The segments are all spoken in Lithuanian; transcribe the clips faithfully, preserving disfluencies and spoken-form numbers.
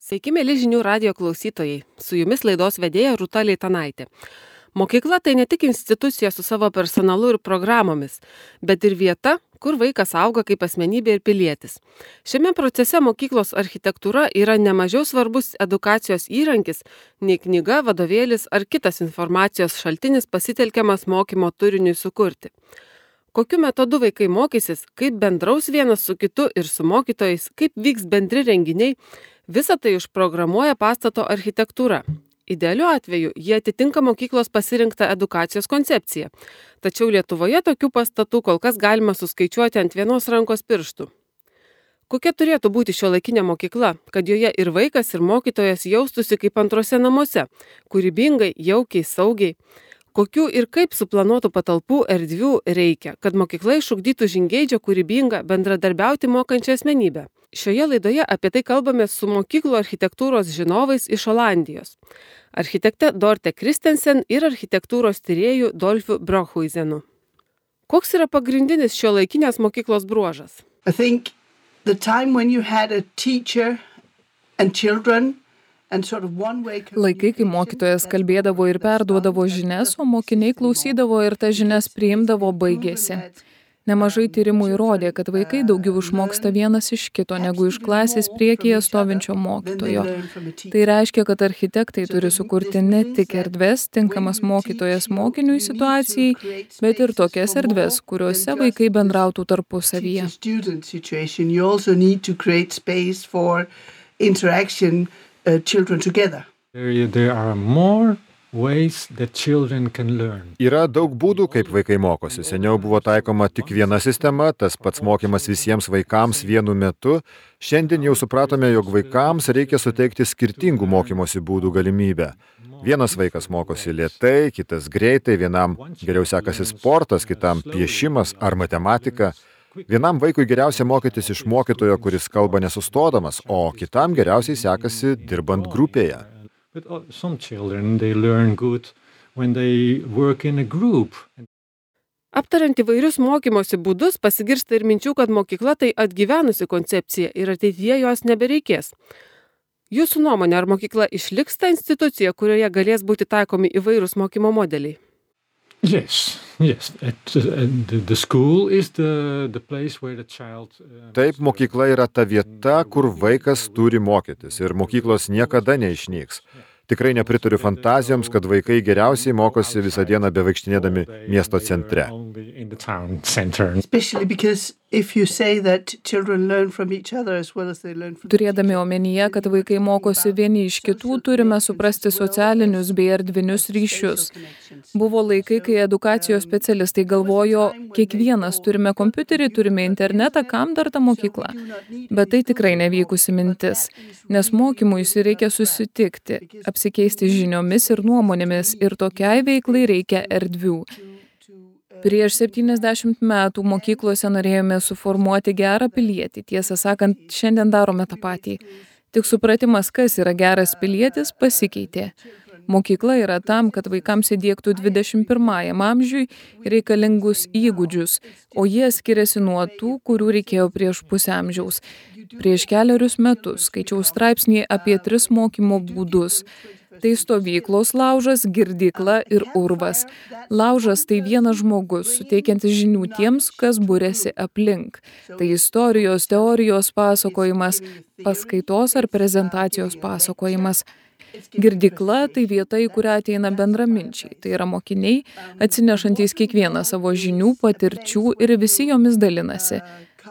Sveiki, mėly žinių radijo klausytojai. Su jumis laidos vedėja Rūta Leitanaitė. Mokykla tai ne tik institucija su savo personalu ir programomis, bet ir vieta, kur vaikas auga kaip asmenybė ir pilietis. Šiame procese mokyklos architektūra yra nemažiau svarbus edukacijos įrankis, nei knyga, vadovėlis ar kitas informacijos šaltinis pasitelkiamas mokymo turiniui sukurti. Kokiu metodu vaikai mokysis, kaip bendraus vienas su kitu ir su mokytojais, kaip vyks bendri renginiai, visą tai užprogramuoja pastato architektūra. Idealiu atveju jie atitinka mokyklos pasirinktą edukacijos koncepciją. Tačiau Lietuvoje tokių pastatų kol kas galima suskaičiuoti ant vienos rankos pirštų. Kokia turėtų būti šiuolaikinė mokykla, kad joje ir vaikas, ir mokytojas jaustųsi kaip antrose namuose, kūrybingai, jaukiai, saugiai? Kokių ir kaip suplanuotų patalpų erdvių reikia, kad mokykla išugdytų žingeidžią, kūrybingą, bendradarbiauti mokančią asmenybę? Šioje laidoje apie tai kalbame su mokyklų architektūros žinovais iš Olandijos. Architekte Dorte Kristensen ir architektūros tyrėju Dolfiu Brockhuizenu. Koks yra pagrindinis šiuolaikinės mokyklos bruožas? I think the time when you had a teacher and children and sort of one way Laikai, kai mokytojas kalbėdavo ir perduodavo žinias, o mokiniai klausydavo ir tas žinias priimdavo, baigėsi. Nemažai tyrimų įrodė, kad vaikai daugiau išmoksta vienas iš kito, negu iš klasės priekyje stovinčio mokytojo. Tai reiškia, kad architektai turi sukurti ne tik erdves, tinkamas mokytojas mokiniui situacijai, bet ir tokias erdves, kuriuose vaikai bendrautų tarpusavyje. Uh, children together. There, there are more ways that children can learn. Yra daug būdų, kaip vaikai mokosi. Seniau buvo taikoma tik viena sistema, tas pats mokymas visiems vaikams vienu metu. Šiandien jau supratome, jog vaikams reikia suteikti skirtingų mokymosi būdų galimybę. Vienas vaikas mokosi lėtai, kitas greitai, vienam geriau sekasi sportas, kitam piešimas ar matematika. Vienam vaikui geriausia mokytis iš mokytojo, kuris kalba nesustodamas, o kitam geriausiai sekasi dirbant grupėje. Aptariant įvairius mokymosi būdus, pasigirsta ir minčių, kad mokykla tai atgyvenusi koncepcija ir ateityje jos nebereikės. Jūsų nuomonė, ar mokykla išliks ta institucija, kurioje galės būti taikomi įvairūs mokymo modeliai? Yes, yes. At, uh, the, the school is the, the place where the child... Uh, Taip, mokykla yra ta vieta, kur vaikas turi mokytis ir mokyklos niekada neišnyks. Tikrai nepritariu fantazijoms, kad vaikai geriausiai mokosi visą dieną bevaikštinėdami miesto centre. Turėdami omenyje, kad vaikai mokosi vieni iš kitų, turime suprasti socialinius bei erdvinius ryšius. Buvo laikai, kai edukacijos specialistai galvojo, kiekvienas turime kompiuterį, turime internetą, kam dar ta mokykla. Bet tai tikrai nevykusi mintis, nes mokymuisi reikia susitikti, apsikeisti žiniomis ir nuomonėmis ir tokiai veiklai reikia erdvių. Prieš septyniasdešimt metų mokyklose norėjome suformuoti gerą pilietį. Tiesą sakant, šiandien darome tą patį. Tik supratimas, kas yra geras pilietis, pasikeitė. Mokykla yra tam, kad vaikams įdiegtų dvidešimt pirmajam amžiui reikalingus įgūdžius, o jie skiriasi nuo tų, kurių reikėjo prieš pusę amžiaus. Prieš keliarius metus skaičiau straipsnį apie tris mokymo būdus. Tai stovyklos laužas, girdykla ir urvas. Laužas tai vienas žmogus, suteikiantis žinių tiems, kas būrėsi aplink. Tai istorijos, teorijos pasakojimas, paskaitos ar prezentacijos pasakojimas. Girdykla tai vieta, į kurią ateina bendraminčiai. Tai yra mokiniai, atsinešantys kiekvieną savo žinių, patirčių ir visi jomis dalinasi.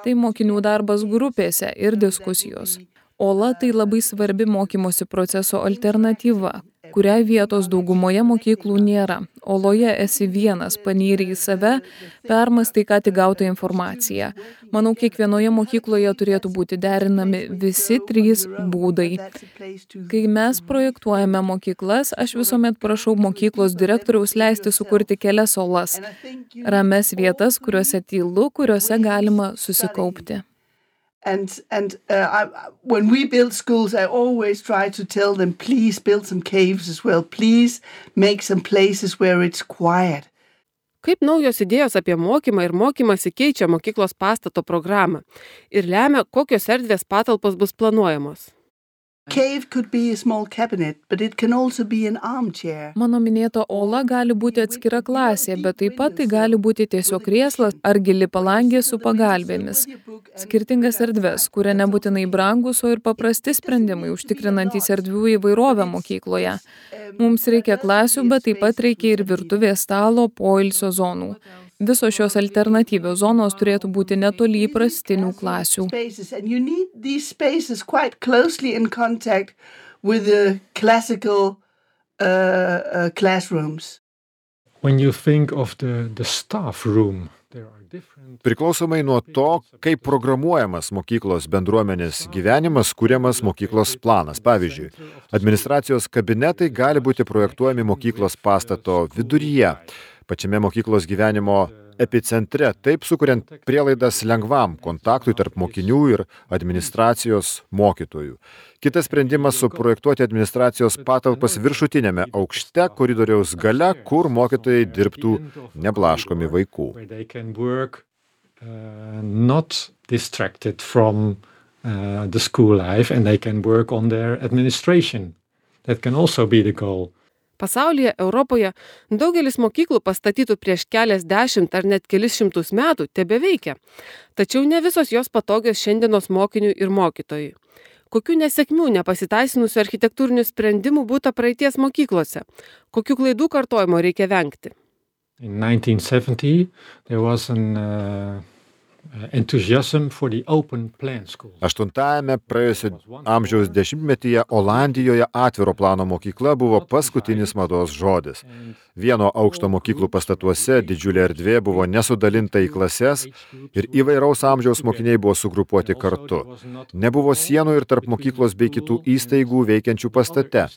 Tai mokinių darbas grupėse ir diskusijos. Ola tai labai svarbi mokymosi proceso alternatyva, kuriai vietos daugumoje mokyklų nėra. Oloje esi vienas, panyri į save, permąstai ką tik gautą informaciją. Manau, kiekvienoje mokykloje turėtų būti derinami visi trys būdai. Kai mes projektuojame mokyklas, aš visuomet prašau mokyklos direktoriaus leisti sukurti kelias olas. Rames vietas, kuriuose tylu, kuriuose galima susikaupti. And and uh, I, when we build schools, I always try to tell them, please build some caves as well. Please make some places where it's quiet. Kaip naujos idėjos apie mokymą ir mokymąsi keičia mokyklos pastato programą ir lemia, kokios erdvės patalpos bus planuojamos? Cave could be a small cabinet, but it can also be an armchair. Mano minėta ola gali būti atskira klasė, bet taip pat tai gali būti tiesiog krėslas ar gili palangė su pagalbėmis. Skirtingas erdves, kuria nebūtinai brangus, o ir paprasti sprendimai, užtikrinantys erdvių įvairovę mokykloje. Mums reikia klasių, bet taip pat reikia ir virtuvės stalo, poilsio zonų. Visos šios alternatyvios zonos turėtų būti netoli įprastinių klasių. And you need these spaces quite closely in contact with the classical uh, uh, classrooms. When you think of the, the staff room, there are different... Priklausomai nuo to, kaip programuojamas mokyklos bendruomenės gyvenimas, kuriamas mokyklos planas. Pavyzdžiui, administracijos kabinetai gali būti projektuojami mokyklos pastato viduryje, pačiame mokyklos gyvenimo epicentre, taip sukuriant prielaidas lengvam kontaktui tarp mokinių ir administracijos mokytojų. Kitas sprendimas suprojektuoti administracijos patalpas viršutinėme aukšte koridoriaus gale, kur mokytojai dirbtų neblaškomi vaikų. Uh, not distracted from uh, the school life and they can work on their administration. That can also be the goal. Pasaulyje, Europoje, daugelis mokyklų pastatytų prieš keliasdešimt ar net kelis šimtus metų tebeveikia. Tačiau ne visos jos patogios šiandienos mokiniui ir mokytojui. Kokių nesėkmių nepasiteisinusių architektūrinių sprendimų būta praeities mokyklose? Kokių klaidų kartojimo reikia vengti? In nineteen seventy, there was an uh, enthusiasm for the open plan school. Aštuntajame praėjusio amžiaus dešimtmetyje Olandijoje atviro plano mokykla buvo paskutinis mados žodis. Vieno aukšto mokyklų pastatuose didžiulė erdvė buvo nesudalinta į klases ir įvairaus amžiaus mokiniai buvo sugrupuoti kartu. Nebuvo sienų ir tarp mokyklos bei kitų įstaigų veikiančių pastate,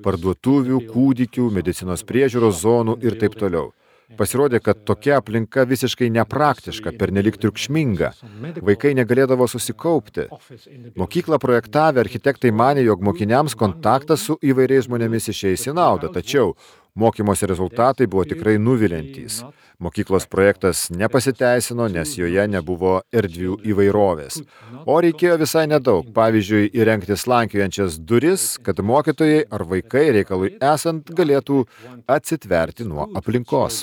parduotuvių, kūdikių, medicinos priežiūros zonų ir taip toliau. Pasirodė, kad tokia aplinka visiškai nepraktiška, pernelyg triukšminga. Vaikai negalėdavo susikaupti. Mokyklą projektavę architektai manė, jog mokiniams kontaktas su įvairiais žmonėmis išeis į naudą, tačiau mokymosi rezultatai buvo tikrai nuviliantys. Mokyklos projektas nepasiteisino, nes joje nebuvo erdvių įvairovės. O reikėjo visai nedaug, pavyzdžiui, įrengti slankiojančias duris, kad mokytojai ar vaikai reikalui esant galėtų atsitverti nuo aplinkos.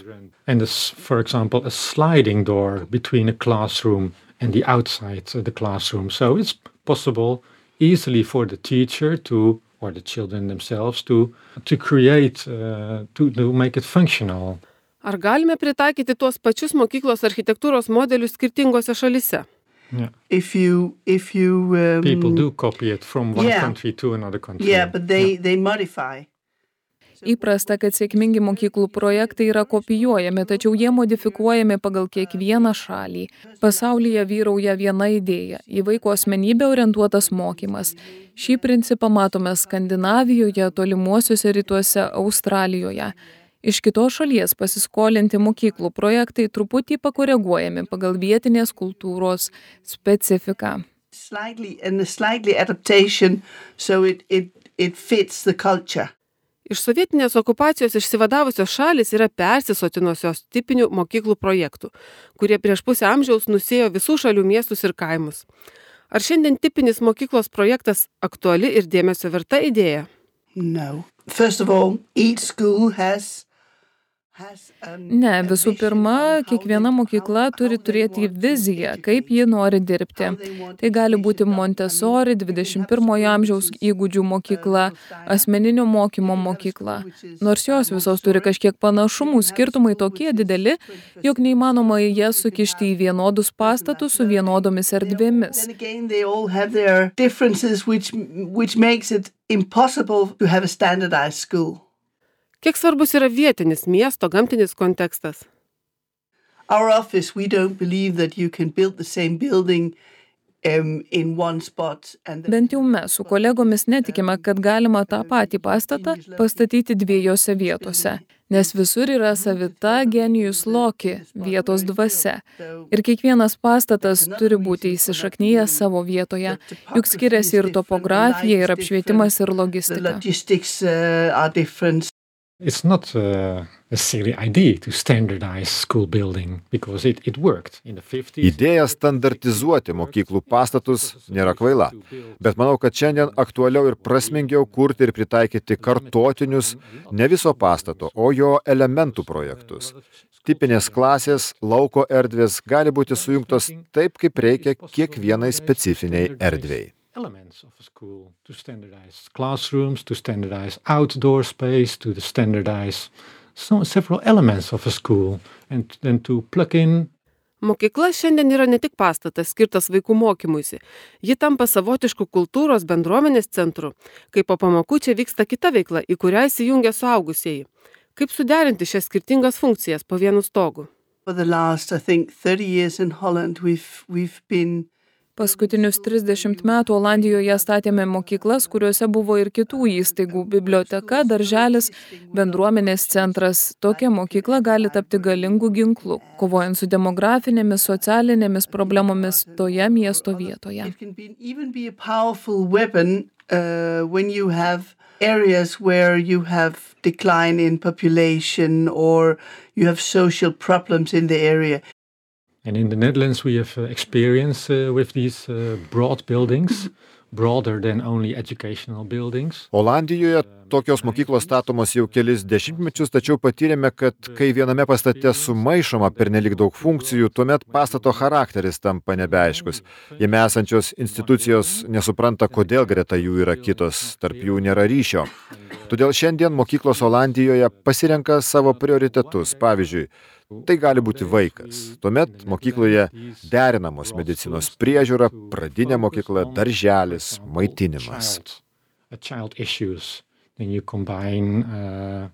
And this, for example, a sliding door between a classroom and the outside of the classroom. So it's possible easily for the teacher to, or the children themselves, to, to create, uh, to, to make it functional. Ar galime pritaikyti tuos pačius mokyklos architektūros modelius skirtingose šalise? Yeah. If you, if you, um, People do copy it from one yeah. country to another country. Yeah, but they, they modify. Įprasta, kad sėkmingi mokyklų projektai yra kopijuojami, tačiau jie modifikuojami pagal kiekvieną šalį. Pasaulyje vyrauja viena idėja – į vaiko asmenybę orientuotas mokymas. Šį principą matome Skandinavijoje, tolimuosiuose rytuose, Australijoje. Iš kitos šalies pasiskolinti mokyklų projektai truputį pakoreguojami pagal vietinės kultūros specifiką. Slightly, and a slightly adaptation, so it, it, it fits the culture. Iš sovietinės okupacijos išsivadavusios šalis yra persisotinusios tipinių mokyklų projektų, kurie prieš pusę amžiaus nusėjo visų šalių miestus ir kaimus. Ar šiandien tipinis mokyklos projektas aktuali ir dėmesio verta idėja? No. First of all, each school has Ne, visų pirma, kiekviena mokykla turi turėti viziją, kaip ji nori dirbti. Tai gali būti Montessori, dvidešimt pirmojo amžiaus įgūdžių mokykla, asmeninio mokymo mokykla. Nors jos visos turi kažkiek panašumų, skirtumai tokie dideli, jog neįmanoma į jas sukišti į vienodus pastatus su vienodomis erdvėmis. Kiek svarbus yra vietinis miesto gamtinis kontekstas? Our office, we don't believe that you can build the same building um, in one spot. And the... Bent jau mes su kolegomis netikime, kad galima tą patį pastatą pastatyti dviejose vietose, nes visur yra savita genius loci, vietos dvasia. Ir kiekvienas pastatas turi būti įsišaknyjęs savo vietoje, juk skiriasi ir topografija, ir apšvietimas, ir logistika. It's not uh, a silly idea to standardize school building because it, it worked in the fifties. Idėja standartizuoti mokyklų pastatus nėra kvaila, bet manau, kad šiandien aktualiau ir prasmingiau kurti ir pritaikyti kartotinius ne viso pastato, o jo elementų projektus. Tipinės klasės, lauko erdvės gali būti sujungtos taip, kaip reikia kiekvienai specifiniai erdvei. Elements of a school to standardize classrooms, to standardize outdoor space, to standardize so, several elements of a school and then to plug in. Mokykla šiandien yra ne tik pastatas skirtas vaikų mokymuisi. Ji tampa savotišku kultūros bendruomenės centru, kai po pamokų čia vyksta kita veikla, į kurią įsijungia suaugusieji. Kaip suderinti šias skirtingas funkcijas po vienu stogu? For the last, I think, thirty years in Holland, we've, we've been Paskutinius trisdešimt metų Olandijoje statėme mokyklas, kuriuose buvo ir kitų įstaigų – biblioteka, darželis, bendruomenės centras. Tokia mokykla gali tapti galingų ginklų, kovojant su demografinėmis, socialinėmis problemomis toje miesto vietoje. It can be, even be a powerful weapon uh, when you have areas where you have decline in population or you have social problems in the area. And in the Netherlands we have uh, experience uh, with these uh, broad buildings, broader than only educational buildings. Olandijoje tokios mokyklos statomos jau kelis dešimtmečius, tačiau patyrėme, kad kai viename pastate sumaišoma pernelyg daug funkcijų, tuomet pastato charakteris tampa nebeaiškus. Jame esančios institucijos nesupranta, kodėl greta jų yra kitos, tarp jų nėra ryšio. Todėl šiandien mokyklos Olandijoje pasirenka savo prioritetus. Pavyzdžiui, tai gali būti vaikas. Tuomet mokykloje derinamos medicinos priežiūra, pradinė mokykla, darželis, maitinimas. Child issues. Then you combine uh,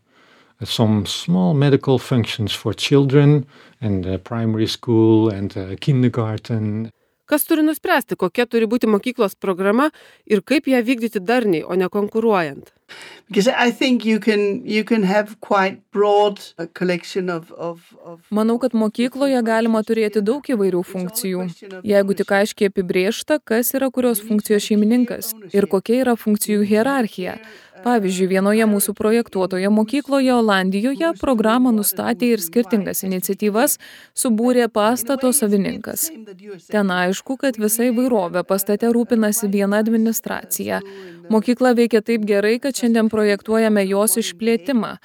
some small medical functions for children and uh, primary school and uh, kindergarten. Kas turi nuspręsti, kokia turi būti mokyklos programa ir kaip ją vykdyti darniai, o ne konkuruojant? Because I think you can, you can have quite broad a collection of, of, of Manau, kad mokykloje galima turėti daug įvairių funkcijų, jeigu tik aiškiai apibrėžta, kas yra kurios funkcijos šeimininkas ir kokia yra funkcijų hierarchija. Pavyzdžiui, vienoje mūsų projektuotoje mokykloje Olandijoje programą nustatė ir skirtingas iniciatyvas subūrė pastato savininkas. Ten aišku, kad visa įvairovė pastate rūpinasi viena administracija. Mokykla veikia taip gerai, kad šiandien projektuojame jos išplėtimą.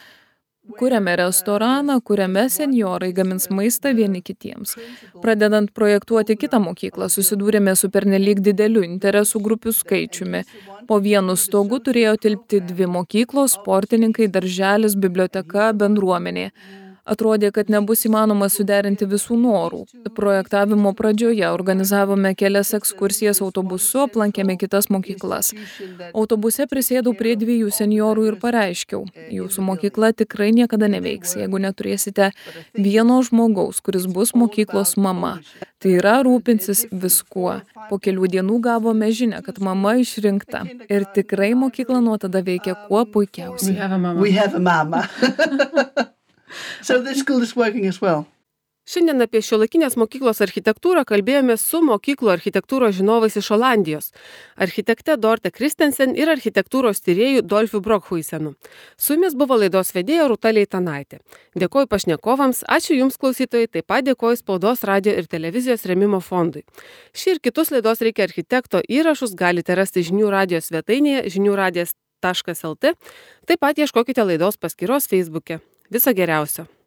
Kuriame restoraną, kuriame senjorai gamins maistą vieni kitiems. Pradedant projektuoti kitą mokyklą, susidūrėme su pernelyg dideliu interesų grupių skaičiumi. Po vienu stogu turėjo tilpti dvi mokyklos, sportininkai, darželis, biblioteka, bendruomenė. Atrodė, kad nebus įmanoma suderinti visų norų. Projektavimo pradžioje organizavome kelias ekskursijas autobusu, aplankėme kitas mokyklas. Autobuse prisėdau prie dviejų senjorų ir pareiškiau, jūsų mokykla tikrai niekada neveiks, jeigu neturėsite vieno žmogaus, kuris bus mokyklos mama. Tai yra rūpinsis viskuo. Po kelių dienų gavome žinią, kad mama išrinkta. Ir tikrai mokykla nuo tada veikia kuo puikiausiai. we have a mama. So this school is working as well. Šiandien apie šiuolaikinės mokyklos architektūrą kalbėjome su mokyklų architektūros žinovais iš Olandijos, architekte Dorte Kristensen ir architektūros tyrėju Dolfiu Brokhuisenu. Su jumis buvo laidos vedėja Rūta Leitanaitė. Dėkoju pašnekovams, ačiū Jums klausytojai, taip pat dėkoju Spaudos, radijo ir televizijos rėmimo fondui. Šį ir kitus laidos Reikia architekto įrašus galite rasti žinių radijo svetainėje žinių radijas taškas lt, taip pat ieškokite laidos paskyros Facebook'e. Viso geriausio.